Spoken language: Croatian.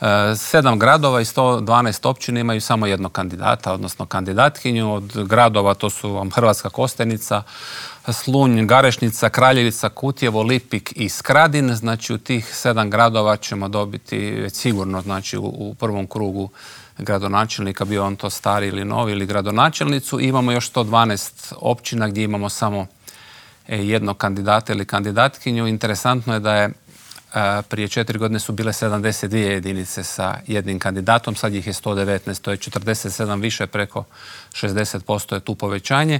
7 gradova i 112 općina imaju samo jednog kandidata, odnosno kandidatkinju. Od gradova to su vam Hrvatska Kostajnica, Slunj, Garešnica, Kraljevica, Kutjevo, Lipik i Skradin. Znači u tih 7 gradova ćemo dobiti već sigurno, znači u prvom krugu gradonačelnika, bio on to stari ili novi ili gradonačelnicu. I imamo još 112 općina gdje imamo samo jednog kandidata ili kandidatkinju. Interesantno je da je prije 4 godine su bile 72 jedinice sa jednim kandidatom, sad ih je 119, to je 47 više, preko 60% je tu povećanje.